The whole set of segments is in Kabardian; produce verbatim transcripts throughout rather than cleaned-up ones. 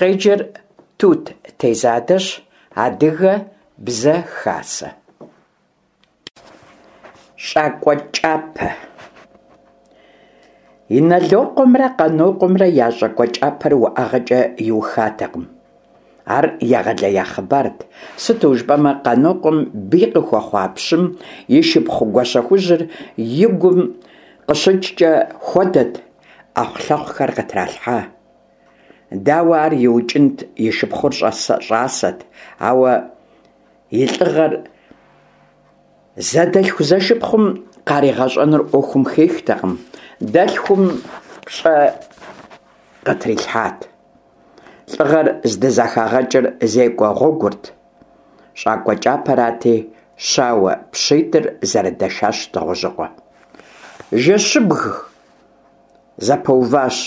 Къеджэр Тут Тезадэщ, Адыгэ Бзэ Хасэ. ЩӀакӀуэ кӀапэ. Инэлокъуэмрэ Къанокъуэмрэ я щӀакӀуэ кӀапэр уӏэгъэкӀэ иухатэкъым. Ар егъэлея хъыбарт, сыту жыпӀэмэ Къанокъуэм бий къыхуэхъуа пщым и шыпхъу Гуащэхужьыр и гум къыщыкӀкӀэ хуэдэт, Ӏэхъулъэхъухэр къытралъхьа. Дауэ ар иукӀынт, и шыпхъур щӀасэт, ауэ и лӀыгъэр зэдэлъху-зэшыпхъум къаригъэщӀэнур Ӏуэхум хихтэкъым, дэлъхум пщӀэ къытрилъхьат. ЛӀыгъэр здызэхагъэкӀыр зекӀуэ гъуэгурт, щӀакӀуэ кӀапэрати, щауэ пщитӀыр зэрыдэшащ Дыгъужьыкъуэ. Жэщыбг зэпэуващ.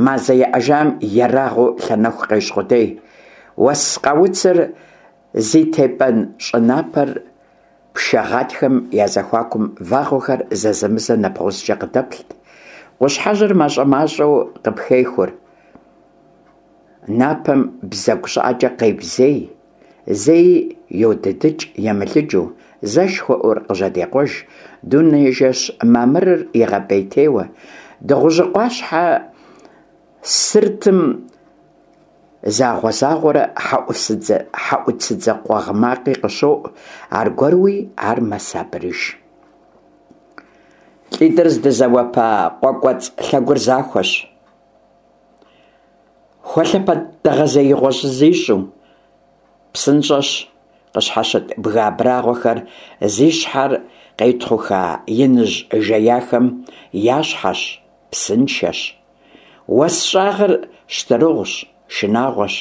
Мазэ еӀэжам ерагъыу лъэнэху къещӀ къудей. Уэс къауцыр зи тепӀэн щӀы напэр пшэ гъатхэм я зэхуакум вагъуэхэр зэзэмызэ нэбгъузкӀэ къыдэплът. Къущхьэжьыр мащӀэ-мащӀэу къыпхехур. Напэм бзэгу щӀыӀэкӀэ къебзей, зэи йодыдыкӀ емылыджу, зэ шхуэӀур къыжьэдекъуэж, дуней жэщ мамырыр игъэпӀейтейуэ. Дыгъужьыкъуащхьэ сыртым загъуэ-загъуэрэ хьэӀуцыдзэ къуэгъ макъи къыщоӀу, аргуэруи ар мэсабырыж. ЛӀитӀыр здызэуэпа къуэ кӀуэцӀ лъэгур захуэщ. Хуэлъэпэд дэгъэзеигъуэ зищӀу, псынщӀэщ, къыщхьэщыт бгы абрагъуэхэр зи щхьэр къетхъуха иныжь жеяхэм я щхьэщ, псыншэщ. Уэс щӀагъыр щтырыгъущ, шынагъуэщ.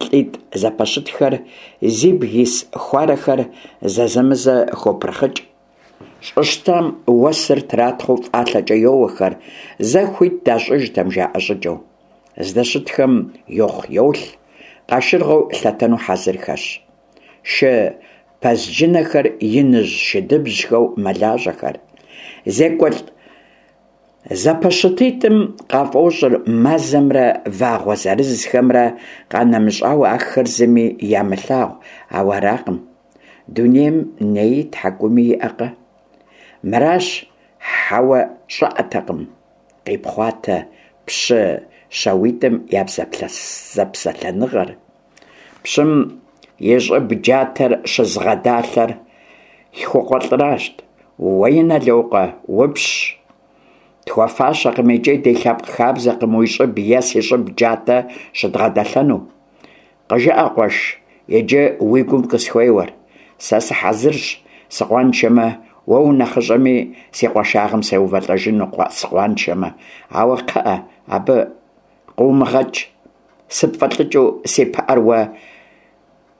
ЛӀитӀ зэпэщытхэр зибг ис хуарэхэр зэзэмызэ хопырхъыкӀ. ЩӀы щтам уэсыр тратхъэу фӀалъэкӀэ йоуэхэр, зэ хуит дащӀыжтэм жаӀэ щӀыкӀэу. Здэщытхэм йохъу-йолъ, къашыргъэу лъэтэну хьэзырхэщ. Шы пэзджынэхэр иныжь шыдыбжьхэу мэлажьэхэр. ЗекӀуэлӀ зэпэщытитӀым къафӀощӀыр мазэмрэ вагъуэ зырызхэмрэ къанэмыщӀауэ ахэр зыми ямылъагъу, ауэ аракъым. Дунейм нэи тхьэкӀуми иӀэкъэ? Мыращ, хьэуэ щӀыӀэтэкъым, къипхъуатэ пщы щауитӀым я зэпсэлъэныгъэр. Пщым и щӀыб джатэр щызыгъэдалъэр лъхукъуэлӀыращ. Уэ, Инэлокъуэ, упщщ. Тхуэфащэкъым икӀи ди лъэпкъ хабзэкъым уи щӀыб е си щӀыб джатэ щыдгъэдэлъэну. КъыжыӀэ, къуэш, иджы уи гум къысхуеуэр. Сэ сыхьэзырщ, сыкъуаншэмэ, уэ унэхъыщӀэми, си къуаншагъэм сеувэлӀэжыну сыкъуаншэмэ. Ауэ, кхъыӀэ, абы къыумыгъэкӀ, сыпфӀэлӀыкӀыу си пыӀэр уэ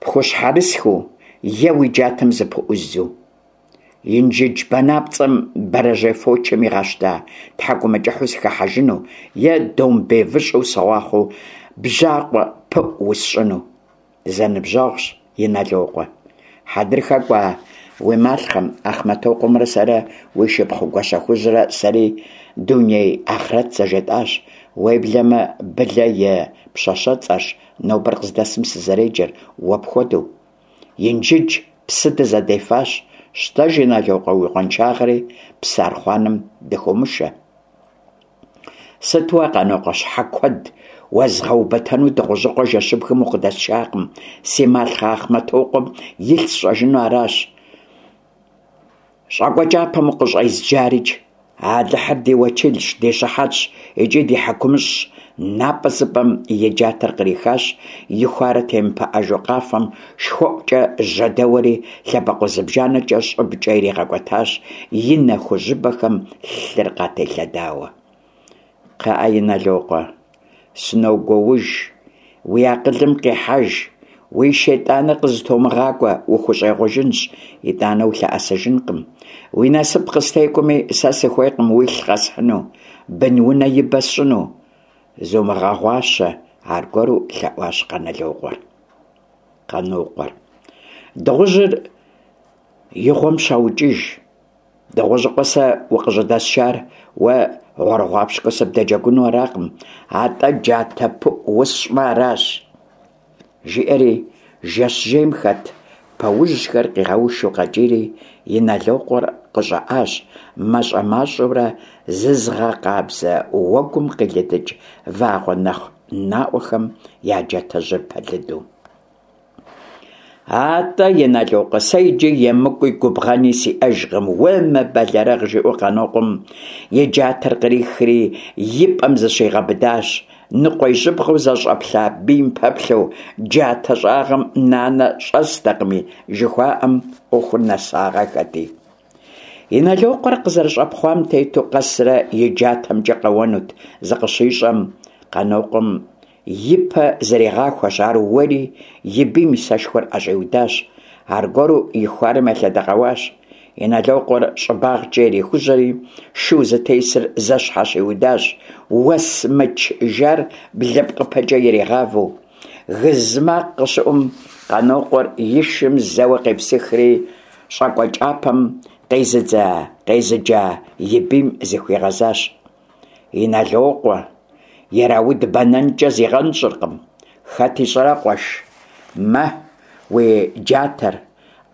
пхущхьэрысхыу е уи джатэм зыпыӀуздзу. Инжыдж банапцӀэм бэрэжьей фочым игъэщта тхьэкӀумэкӀыхьу сыхыхьэжыну е домбей выщӀэу сыгъуахъуэу бжьакъуэ пыӀу усщӀыну. Дызэныбжьэгъущ, Инэлокъуэ. Хьэдрыхэ кӀуа уи малъхъэм Ахъмэтокъуэмрэ сэрэ, уи шыпхъу Гуащэхужьрэ сэри дуней ахърэт зэжетӀащ. Уеблэмэ Былэ и пщащэцӀэрщ нобэр къыздэсым сызэреджэр, уэ пхуэдэу. Инжыдж псы дызэдефащ. Щтэж, Инэлокъуэ, уи къуаншагъэри псы архъуанэм дыхыумышэ. Сыт уэ, Къанокъуэ, щхьэ куэд уэзгъэубэтэну Дыгъужьыкъуэ жэщыбгым укъыдэсшакъым, си малъхъэ Ахъмэтокъуэм илъ сщӀэжыну аращ. ЩӀакӀуэ кӀапэм укъыщӀезджарикӀ. Алыхьыр ди уэчылщ, ди щыхьэтщ икӀи ди хьэкумыщӀщ. НапӀэ зыпӀэм и джатэр кърихащ, и хуарэ темыпыӀэжу къафэм шхуэӀукӀэ жьэдэуэри, лъэбакъуэ зыбжанэкӀэ щӀыбкӀэ иригъэкӀуэтащ, и нэ хужьыбэхэм лъыр къателъэдауэ. КхъыӀэ, Инэлокъуэ, сыногуоуж, уи акъылым къихьэж, уи шейтӀаныр къызытумыгъакӀуэ, ухущӀегъуэжынщ, итӀанэ улъэӀэсыжынкъым. Уи насып къыстекӀуэми, сэ сыхуейкъым уилъ къэсхьыну, бынунэ ибэ сщӀыну. Зумыгъэгъуащэ, аргуэру лъэӀуащ Къанэлокъуэр. Къанокъуэр. Дыгъужьыр и гъуэм щаукӀыж. Дыгъужьыкъуэ сэ укъыщӀыдэсшар уэ ГъуэрыгъуапщкӀуэу сыбдэджэгуну аракъым, атӀэ джатэ пыӀу усщӀмэ аращ, – жиӀэри, жэщ жейм хэт пэужьхэр къигъэушу къэкӀийри, Инэлокъуэр къыщӀэӀащ, мащӀэ-мащӀэурэ зызыгъэкъабзэ уэгум къилыдыкӀ вагъуэ нэхъ наӀуэхэм я джатэжьыр пэлыду. АтӀэ, Инэлокъуэ, сэ иджы емыкӀуи губгъэни сиӀэжкъым, умыбэлэрыгъ, – жиӀэу Къанокъуэм и джатэр кърихри и пӀэм зыщигъэбыдащ, ныкъуэжьыбгъэу зэщӀэплъа бийм пэплъэу, джатэ щӀагъым нанэ щӀэстэкъыми, жыхуаӀэм Ӏуэхур нэсагъэххэти. Инэлокъуэр къызэрыщӀэпхъуам тету къэсрэ и джатэмкӀэ къэуэнут зыкъыщищӀэм, Къанокъуэм и пэ зригъахуэщ, ар уэри, и бийм и сэшхуэр ӀэщӀиудащ. Аргуэру и хуарэм елъэдэкъэуащ. Инэлокъуэр щӀыбагъкӀэ ирихужьэри, шу зытесыр зэщхьэщиудащ, уэс мыч жар блыпкъыпэкӀэ иригъавэу. Гыз макъ къыщыӀум, Къанокъуэр и шым зэуэ къепсыхри, щӀакӀуэ кӀапэм къезыджа и бийм зыхуигъэзащ: - Инэлокъуэ, ирауд бэнэнкӀэ зигъэнщӀыркъым. Хэт ищӀэрэ, къуэш, мэ уи джатэр,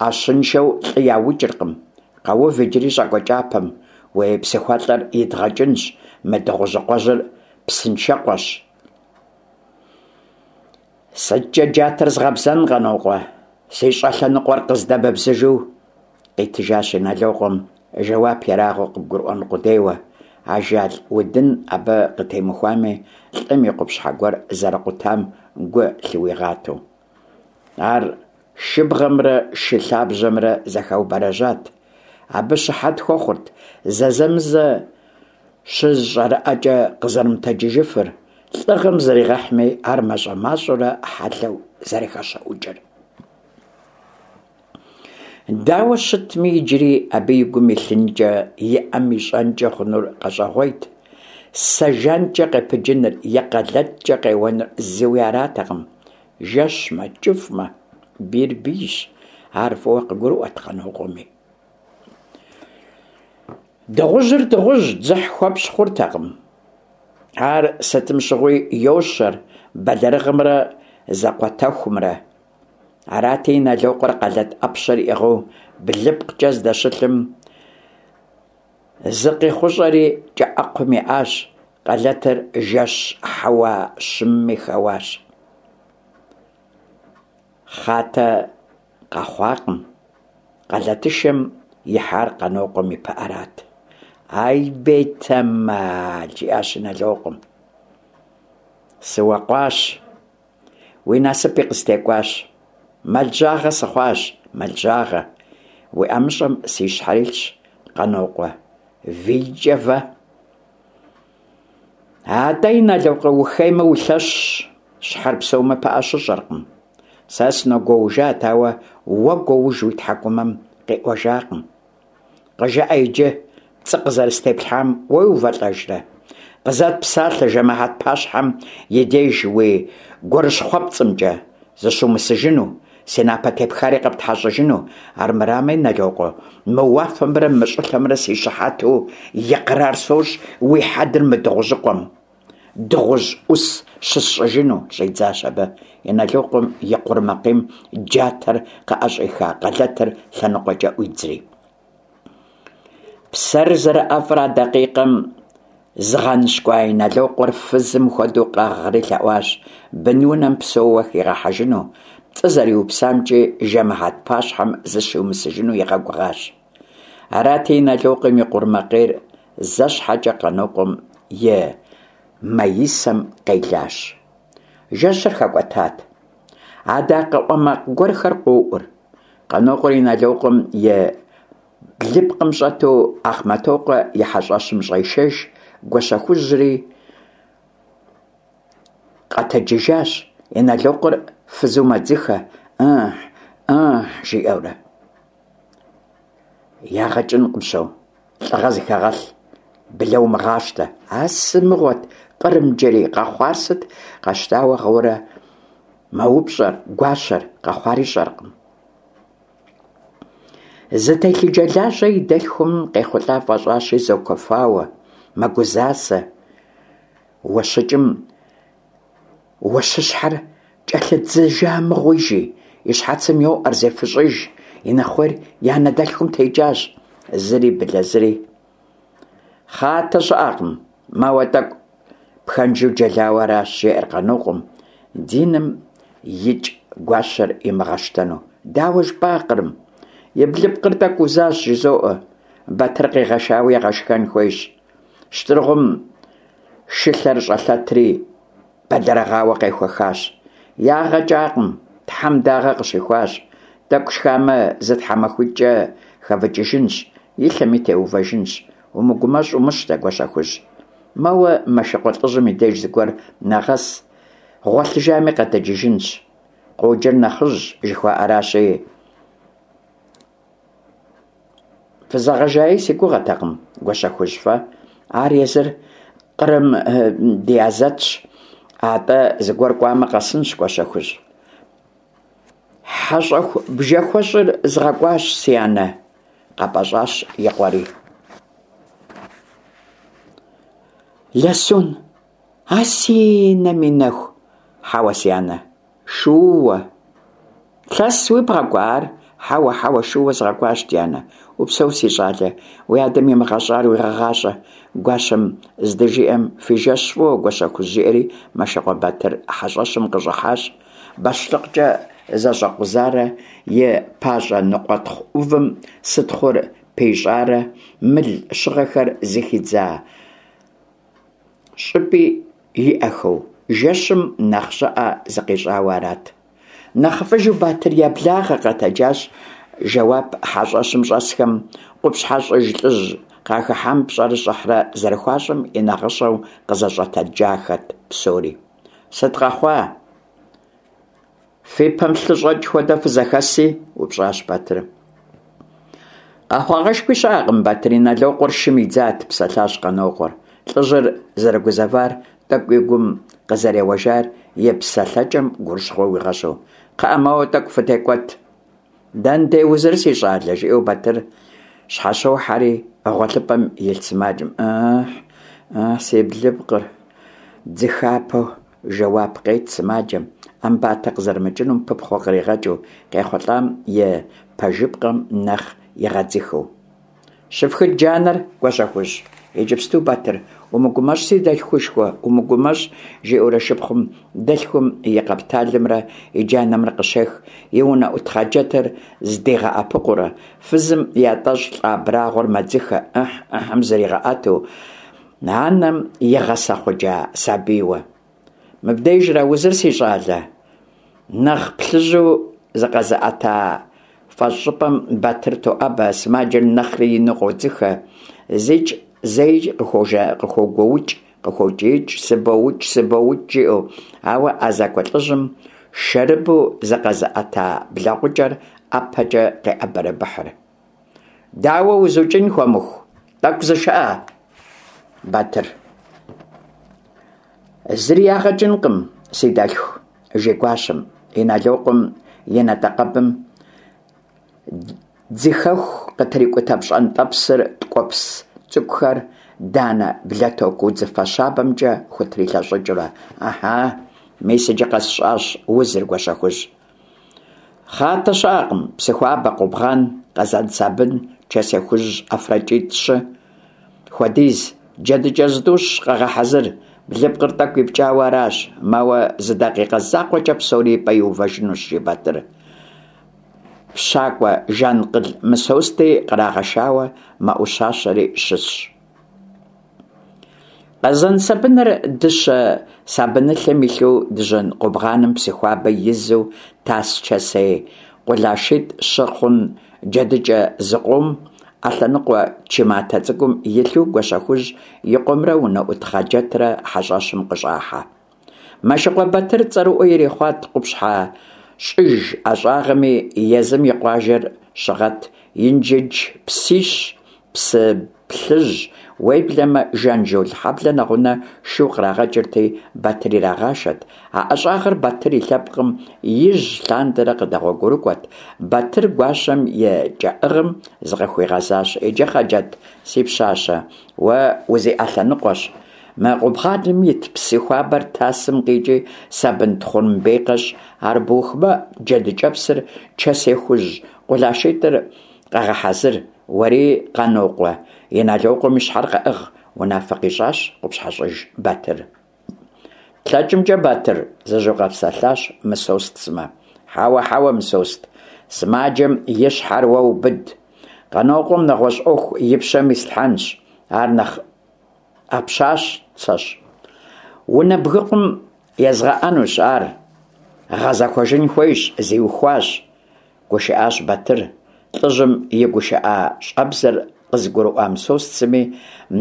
Ӏэщэншэу лӀы яукӀыркъым. Къэув иджыри щӀакӀуэ кӀапэм, уи псыхуэлӀэр идгъэкӀынщ, мы Дыгъужьыкъуэжьыр псыншэкъуэщ. СыткӀэ джатэр згъэбзэн, Къанокъуэ, си щӀэлъэныкъуэр къыздэмыбзыжу, – къитыжащ Инэлокъуэм жэуап ерагъыу къыбгурыӀуэн къудейуэ, ажал удын абы къытемыхуами, лӀым и къупщхьэ гуэр зэрыкъутам гу лъыуигъатэу. Ар шыбгъэмрэ шы лъабжьэмрэ зэхаубэрэжьат. Абы щыхьэт хуэхъурт зэзэмызэ щызэщӀэрыӀэкӀэ къызэрымытэджыжыфыр, лӀыгъэм зригъэхьми, ар мащӀэ-мащӀэурэ хьэлъэу зэрыхэщэӀукӀыр. Дауэ щытми, иджыри абы и гум илъынкӀэ, и Ӏэм ищӀэнкӀэ хъунур къэщӀэгъуейт. Сэ жанкӀэ къепыджыныр е къалэткӀэ къеуэныр зыуи аратэкъым. Жэщмэ, кӀыфӀмэ, бийр бийщ, ар фӀыуэ къыгурыӀуэрт Къанокъуэми. Дыгъужьыр дыгъужьт, дзыхь хуэпщӀ хъуртэкъым. Ар сытым щыгъуи йощэр бэлэрыгъымрэ зэкъуэтэхумрэ. Арати, Инэлокъуэр къалэт Ӏэпщэр иӀыгъыу блыпкъкӀэ здэщылъым, зыкъихъущӀэри кӀэӀэкхъум еӀащ, къалэтыр жэщ хьэуа щымыми хэуащ. Хъатэ къэхъуакъым, къалэтышэм ихьар Къанокъуэм и пыӀэрат. «Ай, бетэмал!» – жиӀащ Инэлокъуэм. – Сыуэкъуащ, уи насыпи къыстекӀуащ. Мэл жьагъэ сыхъуащ, мэл жьагъэ. Уи ӀэмыщӀэм си щхьэр илъщ, Къанокъуэ, вийкӀэ вэ! АтӀэ, Инэлокъуэ, ухеймэ, улъэщщ, щхьэр псэумэ, пыӀэ щыщӀэркъым. Сэ сыногуоужат, ауэ уэ гуоуж уи тхьэкӀумэм къиӀуэжакъым. КъыжыӀэ иджы, пцӀы къызэрыстеплъхьам уеувэлӀэжрэ? Къызэт псалъэ жэмыхьэт пащхьэм и деж уи гурыщхъуэпцӀымкӀэ зыщумысыжыну, си напэ тепхари къэптхьэщӀыжыну. Армырамэ, Инэлокъуэ, мы уафэмрэ мы щӀылъэмрэ си щыхьэту икърар сощӀ уи хьэдэр мы Дыгъужьыкъуэм дыгъужь Ӏус щысщӀыжыну, – щӀидзащ абы. Инэлокъуэм и къурмакъейм джатэр къыӀэщӀиха къалэтыр лъэныкъуэкӀэ Ӏуидзри. Псэр зэрыӀэфӀыр а дакъикъэм зыгъэныщкӀуа Инэлокъуэр фызым хуэдэу къэгъри лъэӀуащ бынунэм псэууэ хигъэхьэжыну, пцӀы зэриупсамкӀи жэмыхьэт пащхьэм зыщиумысыжыну игъэгугъащ. Арати, Инэлокъуэм и къурмакъейр зэ щхьэкӀэ Къанокъуэм и маисэм къелащ. Жэщыр хэкӀуэтат. Адакъэ Ӏуэ макъ гуэрхэр къоӀур. Къанокъуэр Инэлокъуэм и блыпкъым щӀэту Ахъмэтокъуэ и хьэщӀэщым щӀешэж, Гуащэхужьри къэтэджыжащ. Инэлокъуэр фызу мэдзыхэ, «Ыхь, ыхь», жиӀэурэ. Ягъэ кӀынкъым, що, лӀыгъэ зыхэгъэлъ, былэ умыгъащтэ. А сымыгъуэт, Кърымджэрий, къэхъуар сыт? Къэщтауэ гъыуэрэ мэупщӀэр гуащэр, къэхъуар ищӀэркъым. Зы телъыджэлажьэ и дэлъхум къехъулӀа фӀэщӀащи, зокуэфауэ, мэгузасэ. Уэщыкӏым уэщыщхьэр кӏэлъыдзыжа мыгъуи, жи, и щхьэцым йоӏэр, зефыщӏыж, и нэхъуейр и анэ дэлъхум текӏащ. Зыри, Былэ, зыри. Хъатэ щыӏэкъым, мэуэ тӏэкӏу пхэнжу джэлауэ аращ, жеӏэр Къанокъуэм, диным икӏ гуащэр имыгъэщтэну. Дауэ жыпӏа, Кърым? И блыпкъыр тӏэкӏу узащ, жызоӏэ. Батыр къигъэшауэ егъэшхэн хуейщ. Щтыргъум шылъэр щӏэлъэтри бэлэрыгъауэ къехуэхащ. Ягъэ кӏакъым, Тхьэм дагъэ къыщихуащ. Тӏэкӏу шхамэ, зы тхьэмахуитӏкӏэ хэвыкӏыжынщ, и лъэми теувэжынщ. Умыгумэщӏ, умыщтэ, Гуащэхужь. Мэуэ Мэшыкъуэ лӏыжьым и деж зыгуэр нэгъэс, гъуэлъыжами къэтэджыжынщ. Къоджэр нэхъыжь жыхуаӏэращи, фызэгъэжаи си гугъэтэкъым, Гуащэхужь, фэ. Ар езыр Кърым ди азэтщ. Атӏэ зыгуэр кӏуамэ къэсынщ, Гуащэхужь. Хьэщӏэху бжэхуэщӏыр згъэкӏуащ, си анэ, къэпӏэщӏащ и къуэри. Лэсун, а си нэм и нэху, хьэуэ, си анэ, шууэ. Лъэсуи бгъэкӏуа ар? Хьэуэ, хьэуэ, шууэ згъэкӏуащ, ди анэ. Упсэу, си щӏалэ, уи адэм имыгъэщӏар уигъэгъащӏэ. Гуащэм здыжиӏэм, фи жэщ фӏыуэ, Гуащэхужь, жиӏэри Мэшыкъуэ Батыр хьэщӏэщым къыщӏыхьащ. Бащлъыкъкӏэ зэщӏэкъузарэ и пащӏэ ныкъуэтхъу ӏувым сытхъур пищӏарэ мыл щыгъэхэр зыхидза щӏыпӏи иӏэхэу, жэщым нэхъ щӏыӏэ зыкъищӏауэ арат. Нэхъыфӏыжу Батыр еблагъэ, къэтэджащ жэуап хьэщӏэщым щӏэсхэм къупщхьэщӏыж лӏыжь къахыхьам пщӏэрэ щӏыхьрэ зэрыхуащӏым и нагъыщэу къызэщӏэтэджахэт псори. Сыт къэхъуа? Фи пэм лъы щӏэкӏ хуэдэ фызэхэси? упщӏащ Батыр. Къэхъуагъэшхуи щыӏэкъым, Батыр Иналокъуэр шым идзат, псэлъащ Къанокъуэр. Лӏыжьыр зэрыгузэвар, тӏэкӏу и гум къызэреуэжар и псэлъэкӏэм гурыщхъуэ уигъэщӏу. Кхъыӏэ, мэуэ тӏэкӏу фытекӏуэт. Дэнэ узыр, си щӏалэ, жиӏэу Батыр щхьэщохьэри гъуэлъыпӏэм илъ сымаджэм «Ыхь, ыхь, си блыпкъыр!» дзыхапэу жэуап къет сымаджэм, ӏэмбатэ къызэрымыкӏынум пыпхъуэ къригъэкӏыу, къехъулӏам и пэжыпкъэм нэхъ игъэдзыхэу. Щыфхыт джанэр, Гуащэхужь, иджыпсту, Батыр, умыгумэщӏ, си дэлъхушхуэ, умыгумэщӏ, жиӏэурэ шыпхъум дэлъхум и къэпталымрэ и джанэмрэ къыщех, и унэӏут хъаджэтыр здигъэӏэпыкъуурэ, фызым ятӏэщӏ лӏа абрагъуэр мэдзыхэ, ыхь, ыхьым зригъэӏэту, анэм игъэсэхъуджа сабийуэ. Мыбдежра узыр, си щӏалэ? Нэхъ плъыжьу зыкъэзыӏэта фӏэщӏыпӏэм Батыр тоӏэбэ, сымаджэр нэхъри ину къодзыхэ, зикӏ зэикӏ къыхогуоукӏ, къыхокӏиикӏ, сыбоукӏ, сыбоукӏ, жиӏэу, ауэ ӏэзакӏуэ лӏыжьым шэрыбу зыкъэзыӏэта блэгъукӏэр ӏэпэкӏэ къеӏэбэрэбыхьыр. Дауэ узукӏын, хуэмыху, тӏэкӏу зышыӏэ, Батыр. Зыри ягъэкӏынкъым, си дэлъху, жи гуащэм, Иналокъуэм и натӏэкъэбым дзыхэху къытрикӏутэ пщӏэнтӏэпсыр ткӏуэпс цӏыкӏухэр данэ блэтоку удзыфэ щабэмкӏэ хутрилъэщӏыкӏыурэ. Ахьа, мис иджы къэсщӏащ узыр, Гуащэхужь. Хъатэ щыӏэкъым, псы хуабэ, къубгъан, къэзан сабын, чэсей хужь ӏэфракӏитӏ-щы хуэдиз, джэдыкӏэ зытӏущ къэгъэхьэзыр, блыпкъыр тӏэкӏу ипкӏауэ аращ, мэуэ зы дакъикъэ закъуэкӏэ псори и пӏэ иувэжынущ, жи Батыр. Пщакӏуэ Жанкъыл Мысости кърагъэшауэ мэӏущащэри щысщ. Къэзан сабыныр дыщэ сабынылъэм илъу дыжьын къубгъаным псы хуабэ изу тас чэсей къулашитӏ щы хъун джэдыкӏэ зыкъом ӏэлъэныкъуэ чы матэ цӏыкӏум илъу Гуащэхужь и къуэмрэ унэӏут Хъаджэтрэ хьэщӏэщым къыщӏахьэ. Мэшыкъуэ Батыр цӏэрыӏуэ ирихъуат къупщхьэ щӏыж ӏэщӏагъэми, езым и къуажэр щыгъэт Инджыдж псищ, псы плъыжь, Уеблэмэ Жанжол хьэблэ нэгъунэ шу кърагъэкӀырти, Батыр ирагъашэрт. А ӀэщӀагъэр Батыр и лъэпкъым ижь лъандэрэ къыдэгъуэгурыкӀуэрт. Батыр гуащэм и кӀэӀыгъым зыкъыхуигъэзащ: «Иджы, Хъаджэт, си пщащэ, уэ узиӀэлъэныкъуэщ. Мы къубгъаным ит псы хуабэр тасым къикӀи сабын тхъурымбей къэщӀ, ар бухмэ, джэдыкӀэпсыр, чэсей хужь къулашитӀыр къэгъэхьэзыр. Уэри, Къанокъуэ, Иналокъуэм и щхьэр къэӀыгъ», - унафэ къищӀащ КъупщхьэщӀыж Батыр. ТлъэкӀымкӀэ, Батыр, - зыжьэу къэпсэлъащ Мысост сымэ. Хьэуэ, хьэуэ, Мысост, сымаджэм и щхьэр уэ убыд. Къанокъуэм нэгъуэщӀ Ӏуэху и пщэм ислъхьэнщ, ар нэхъ Ӏэпщацэщ. Унэ бгыкъум езгъэӀэнущ ар, гъэзэкӀуэжын хуейщ, зиухуащ, - гушыӀащ Батыр. ЛӀыжьым и гушыӀэщӀэбзэр къызыгурыӀуа Мысост сыми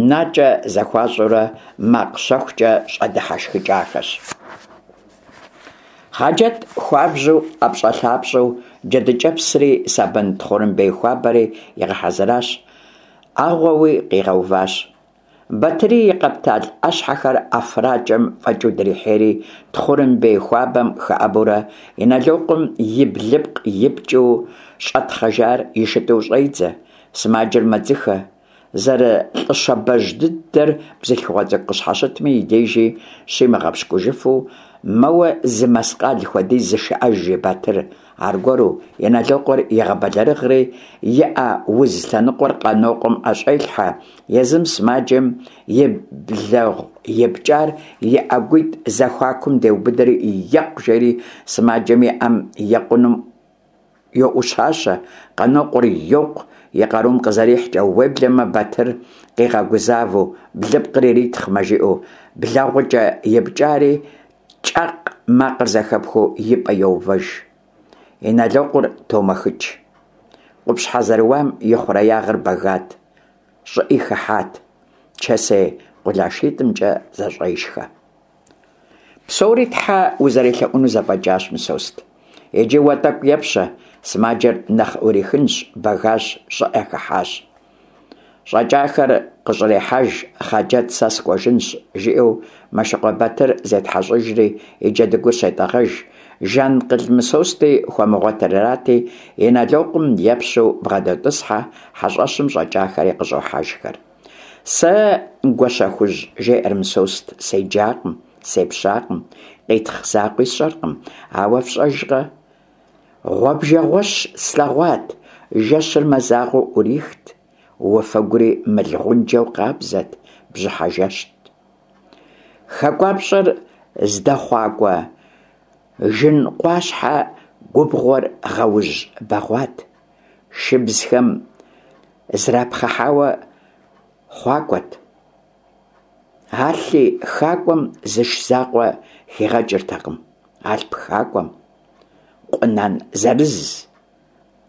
накӀэ зэхуащӀурэ макъ щэхукӀэ щӀэдыхьэшхыкӀахэщ. Хъаджэт хуабжьу ӀэпщӀэлъапщӀэу джэдыкӀэпсри сабын тхъурымбей хуабэри игъэхьэзыращ, Ӏэгъуэуи къигъэуващ. Батыри и къэптал Ӏэщхьэхэр ӀэфракӀэм фӀэкӀыу дрихьейри, тхъурымбей хуабэм хэӀэбэурэ Иналокъуэм и блыпкъ ипкӀыу щӀэтхъэжар ишытӀыу щӀедзэ. Сымаджэр мэдзыхэ. ЗэрылӀы щабэжь дыдэр бзылъхугъэ цӀыкӀу къыщхьэщытми и дежи щимыгъэпщкӀужыфу, мэуэ зы мэскъал хуэдиз зышыӀэж, жи Батыр аргуэру, Иналокъуэр егъэбэлэрыгъри, и Ӏэ уз лъэныкъуэр Къанокъуэм ӀэщӀелъхьэ, езым сымаджэм и блэгъу ипкӀар и ӀэгуитӀ зэхуакум деубыдэри, «екъу!» жери сымаджэм и Ӏэм екъунум йоӀущащэ, Къанокъуэр йокъу и къарум къызэрихькӀэ, уеблэмэ Батыр къигъэгузавэу, блыпкъыр иритхъмэ жиӀэу, блэгъукӀэ ипкӀари кӀакъ макъыр зэхэпхыу и пӀэ йоувэж. Иналокъуэр томэхыкӀ. Къупщхьэ зэрыуам и хъуреягъыр бэгат, щӀыӀи хыхьат, чэсей къулашитӀымкӀэ зэщӀешхэ. Псори тхьэ узэрелъэӀуну зэфӀэкӀащ, Мысост. Иджы уэ тӀэкӀу епщэ, сымаджэр нэхъ Ӏурихынщ, бэгащ, щӀыӀэ хыхьащ. ЩӀэкӀахэр къыщӀрехьэж, Хъаджэт сэ сыкӀуэжынщ, жиӀэу Мэшыкъуэ Батыр зетхьэщӀыжри и джэдыгур щетӀэгъэж. Жанкъыл Мысости хуэмыгъуэтыр арати, Иналокъуэм епщэу бгъэдотӀысхьэ, хьэщӀэщым щӀэкӀахэри къыщӀохьэжхэр. Сэ, Гуащэхужь, — жеӀэр Мысост, — седжакъым, сепщакъым, къитхъ закъуи сщӀэркъым, ауэ, фщӀэжкъэ, гъуэбжэгъуэщ слъэгъуат, жэщыр мазагъуэу Ӏурихт, уафэгури мыл гъунджэу къабзэт, бжьыхьэ жэщт. ХакӀуапщӀэр здэхъуакӀуэ Жынкъуащхьэ губгъуэр гъуэжь бэгъуат, шыбзхэм зрапхъыхьауэ хъуакӀуэрт. Алъи хакӀуэм зыш закъуэ хигъэкӀыртэкъым. Алъп хакӀуэм къунан зырыз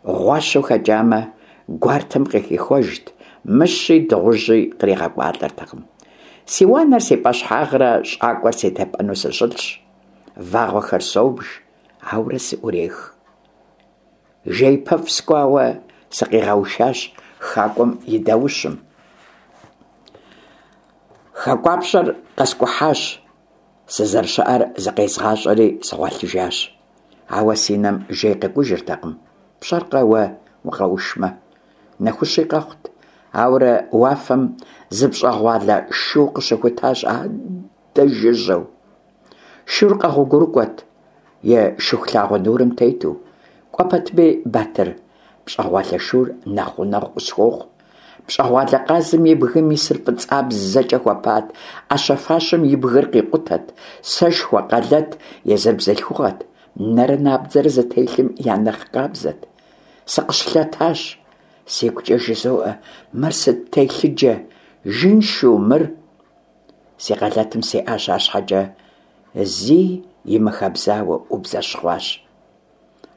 гъуащэу хэкӀамэ, гуартэм къыхихуэжт, мыщи дыгъужьи къригъэкӀуалӀэртэкъым. Си уанэр си пӀэщхьагърэ щӀакӀуэр си тепӀэну сыщылъщ, вагъуэхэр собж, ауэрэ сыӀурех. ЖеипэфӀ скӀуауэ сыкъигъэушащ хакӀуэм и даущым. ХакӀуапщӀэр къэскӀухьащ, сызэрыщыӀэр зыкъезгъащӀэри сыгъуэлъыжащ. Ауэ си нэм жей къекӀужыртэкъым, пщӀэркъэ уэ укъэушмэ. Нэхущи къэхъут, ауэрэ уафэм зы пщӀэгъуалэ шу къыщыхутащ адэ жыжьэу. Шур къэгъуэгурыкӀуэрт и Шыхулъагъуэ нурым тету. КӀуэ пэтми, Батыр, пщӀэгъуалэ шур нэхъ гъунэгъу къысхуохъу. ПщӀэгъуалэ къазым и бгым исыр фӀыцӀабзэкӀэ хуэпат, Ӏэщэ-фащэм и бгыр къикъутэт, сэшхуэ, къэлэт, езыр бзылъхугъэт, нэрэ набдзэрэ зытелъым я нэхъ къабзэт. Сыкъыщылъэтащ, сигукӀэ жызоӀэ, мыр сыт телъыджэ, жыншу мыр? Си къэлэтым сеӀащ, арщхьэкӀэ зи имыхэбзауэ Ӏубзэщхъуащ.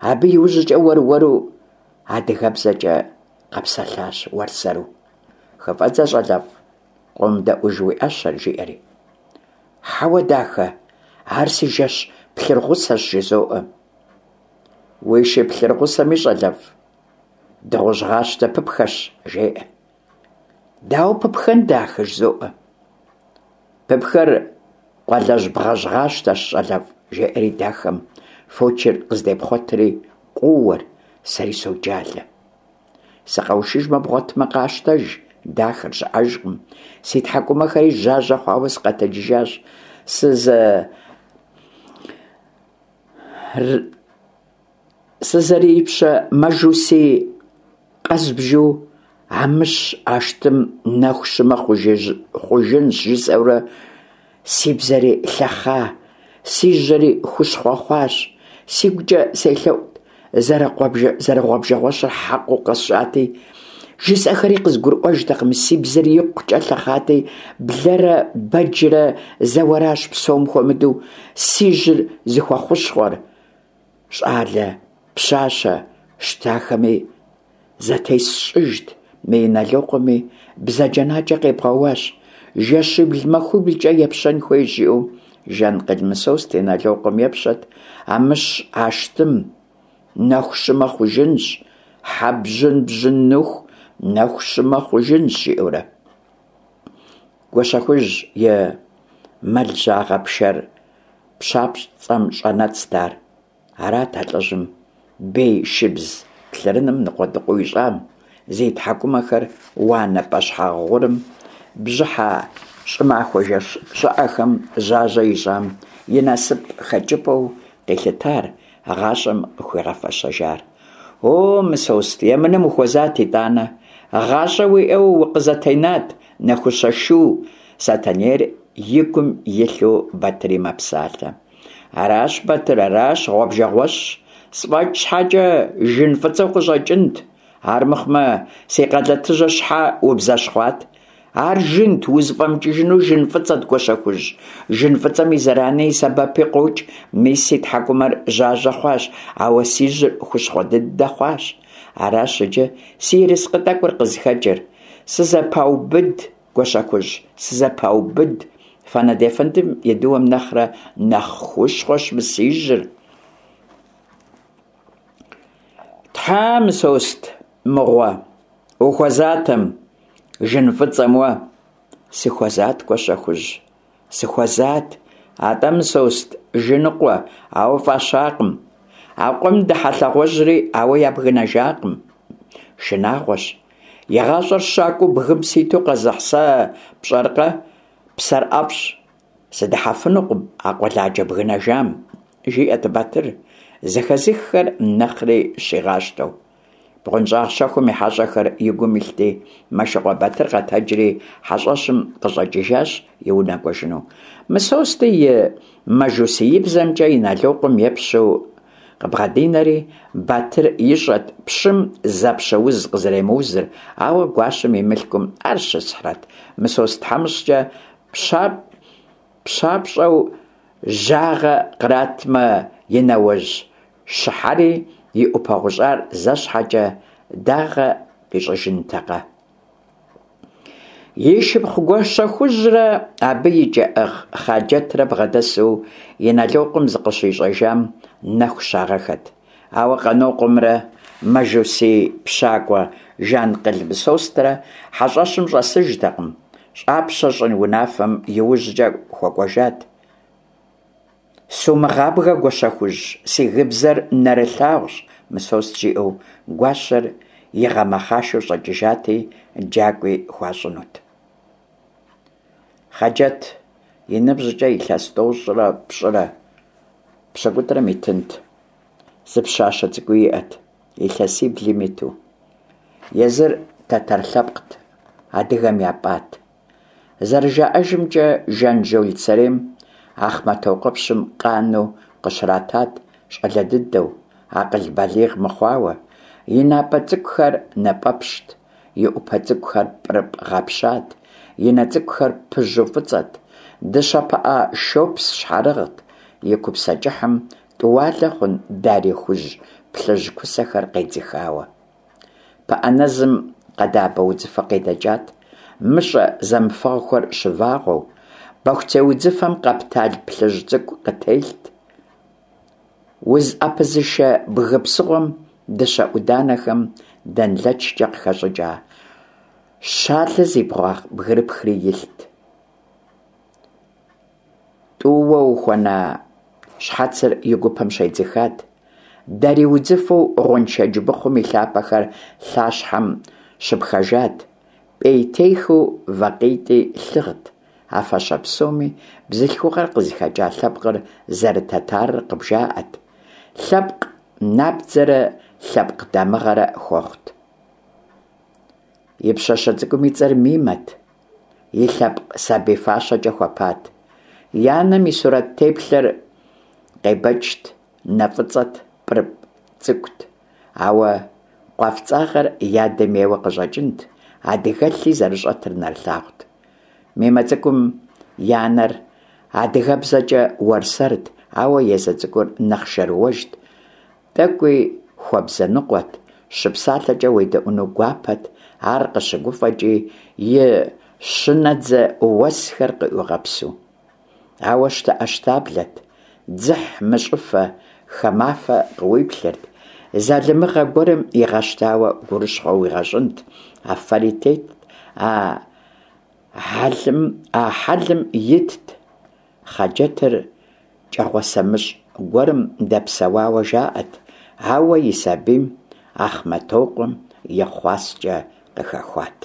Абы иужькӀэ уэр-уэру адыгэбзэкӀэ къэпсэлъащ уэрсэру. ХыфӀэдзэ, щӀалэфӀ, къомыдэӀуж уи Ӏэщэр, жиӀэри. Хьэуэ, дахэ, ар си жэщ плъыргъусэщ, жызоӀэ. Уи шы плъыргъусэми, щӀалэфӀ, дыгъужь гъащтэ пыпхэщ, жеӀэ. Дауэ пыпхэн, дахэ, жызоӀэ. Пыпхэр къуалэжь бгъэжьгъащтэщ, щӀалэфӀ, жеӀэри дахэм фочыр къыздепхъуэтри къоуэр, сэри соджалэ. Сыкъэушыжмэ, бгъуэтмэ къащтэж, дахэр щыӀэжкъым. Си тхьэкӀумэхэри жьажьэ хъуауэ сыкъэтэджыжащ. Сызэрыипщэ мажусий къэзбжу Амыщ ащтым нэху щымэ хъужынщ жысӀэурэ си бзэри лъэхъа, си жьэри хущхъуэ хъуащ. СигукӀэ селъэӀут, зэрыгъуэбжэгъуэщыр хьэкъыу къэсщӀати, жысӀэхэри къызгурыӀуэжтэкъым, си бзэри икъукӀэ лъэхъати, блэрэ бэджрэ зэуэращ псом хуэмыдэу си жьэр зыхуэхущхъуэр. ЩӀалэ, пщащэ щтахэми зэтесщӀыжт, мы Иналокъуэми бзаджэнаджэ къебгъэуащ, жэщибл-махуиблкӀэ епщэн хуейщ, жиӀэу Жанкъыл Мысост Иналокъуэм епщэт, Амыщ ащтым нэху щымэ хъужынщ, хьэ бжьын бжьыныху нэху щымэ хъужынщ, жиӀэурэ. Гуащэхужь и мэл жьагъэ пшэр пщапцӀэм щӀэнэцт ар. Арат а лӀыжьым бей шыбз плъырыным ныкъуэдыкъуэу ищӀам, зи тхьэкӀумэхэр уанэ пӀэщхьагъ гъурым, бжьыхьэ щӀымахуэ жэщ щӀыӀэхэм жьажьэ ищӀам и насып хэкӀыпӀэу къилъытар, гъащӀэм къыхуигъэфэщэжар. О, Мысост, емынэм ухуэзат итӀанэ, гъащӀэ уиӀэу укъызэтенат, нэхущэ шу, Сэтэнейр и гум илъу Батыри мэпсалъэ. Аращ, Батыр, аращ, гъуэбжэгъуэщщ. СфӀэкӀ щхьэкӀэ жын фӀыцӀэу къыщӀэкӀынт. Армыхъумэ, си къалэтыжьыр щхьэ убзэщхъуат? Ар жынт, узыфӀэмыкӀыжыну жын фӀыцӀэт, Гуащэхужь. Жын фӀыцӀэм и зэрани и сэбэпи къокӀ. Мис си тхьэкӀумэр жьажьэ хъуащ, ауэ си жьэр хущхъуэ дыдэ хъуащ. Аращ иджы си ерыскъы тӀэкӀур къызыхэкӀыр. Сызэпаубыд, Гуащэхужь, сызэпаубыд. Фэнэд ефэндым и дыуэм нэхърэ нэхъ хущхъуэщ мы си жьэр. Тхьэ, Мысост мыгъуэ, ухуэзатэм жын фӀыцӀэм уэ. Сыхуэзат, Гуащэхужь, сыхуэзат. АтӀэ, Мысост, жыныкъуэ, ауэ фӀащакъым. А къуэм дыхьэ лъагъуэжьри ауэ ябгынэжакъым. Шынагъуэщ. И гъащӀэр щакӀуэу бгым ситу къэзыхь сэ пщӀэркъэ, псэр ӀэфӀщ. Сыдыхьэфынукъым а къуэладжэ бгынэжам, жиӀэрт Батыр, зэхэзыххэр нэхъри щигъащтэу. БгъуэнщӀагъ щэхум и хьэщӀэхэр и гум илъти, Мэшыкъуэ Батыр къэтэджри хьэщӀэщым къыщӀэкӀыжащ и унэ кӀуэжыну. Мысости и мажусиибзэмкӀэ Иналокъуэм епщэу къыбгъэдинэри, Батыр ищӀэрт пщым зэпщэ уз къызэремыузыр, ауэ гуащэм и мылъкум ар щысхьрэт. Мысост тхьэмыщкӀэ пщапщӀэу жьагъэ къратмэ, и нэуэжь щыхьэри и Ӏупэ гъущӀар зэ щхьэкӀэ дагъэ къищӀыжынтэкъэ. И шыпхъу Гуащэхужьрэ абы и кӀэӀыгъ Хъаджэтрэ бгъэдэсу Иналокъуэм зыкъыщищӀэжам нэху щагъэхэт. Ауэ Къанокъуэмрэ мажусий пщакӀуэ Жанкъыл Мысострэ хьэщӀэщым щӀэсыжтэкъым, щӀапщэ щӀын унафэм иужькӀэ хуэкӀуэжат. Сумыгъабгэ, Гуащэхужь, си гыбзэр нэрылъагъущ, Мысост жиӀэу гуащэр игъэмэхъашэу щӀэкӀыжати, джакӀуи хуащӀынут. Хъаджэт и ныбжькӀэ илъэс тӀощӀрэ пщӀырэ пщыкӀутӀрэм итынт. Зы пщащэ цӀыкӀуи иӀэт, илъэсиблым иту. Езыр тэтэр лъэпкът, адыгэм япӀат. ЗэрыжаӀэжымкӀэ, Жанжол сэрейм Ахъмэтокъуэпщым къану къыщратат щӀалэ дыдэу, акъыл балигъ мыхъуауэ. И напӀэ цӀыкӀухэр напӀэпщт, и Ӏупэ цӀыкӀухэр пӀырыпӀ гъэпщат, и нэ цӀыкӀухэр пыжьу фӀыцӀэт, дыщэ пыӀэ шопс щхьэрыгът, и купсэ кӀыхьым тӀуалэ хъун дарий хужь плъыжь кусэхэр къедзыхауэ. ПыӀэ нэзым къэдабэ удзыфэ къедэкӀат, мыщӀэ зэмыфэгъухэр щывагъуэу, бэхуцей удзыфэм къэптал плъыжь цӀыкӀу къытелът. УзыӀэпызышэ бгы псыгъуэм дыщэ Ӏуданэхэм дэнлэчкӀэ къыхэщӀыкӀа Щалэ зи бгъуагъ бгырыпхри илът. ТӀууэ ухуэна щхьэцыр и гупэм щедзыхат. Дарий удзыфэу гъуэншэдж быхъум и лъапэхэр лъащхьэм щыпхэжат. ПӀейтейхэу вакъитӀи лъыгът. А фащэ псоми бзылъхугъэр къызыхэкӀа лъэпкъыр зэрытэтарыр къыбжаӀэрт, лъэпкъ набдзэрэ лъэпкъ дамыгъэрэ хуэхъут. И пщащэ цӀыкӀум и цӀэр Мимэт, и лъэпкъ сабий фащэкӀэ хуэпат. И анэм и сурэт теплъэр къебэкӀт, нэ фӀыцӀэт, пӀырыпӀ цӀыкӀут. Ауэ къуафцӀагъэр и адэм ейуэ къыщӀэкӀынт, адыгэлъи зэрыщӀэтыр нэрылъагъут. Мимэ цӀыкӀум и анэр адыгэбзэкӀэ уэрсэрт, ауэ езы цӀыкӀур нэхъ шэрыуэжт, тӀэкӀуи хуэбзэныкъуэт, щыпсалъэкӀэ уедэӀуэну гуапэт, ар къыщыгуфӀэкӀи и щынэдзэ уэсхэр къыӀуигъэпсу. Ауэ щтэӀэщтаблэт, дзыхьмыщӀыфэ, хамафэ къыуиплъырт, залымыгъэ гуэрым игъэщтауэ гурыщхъуэ уигъэщӀынт, а фэри тетт, а хьэлым итт. Хъаджэтыр кӀэгъуасэмыщӀ гуэрым дэпсэуауэ жаӀэрт, ауэ и сабийм Ахъмэтокъуэм и хъуаскӀэ къыхэхуат.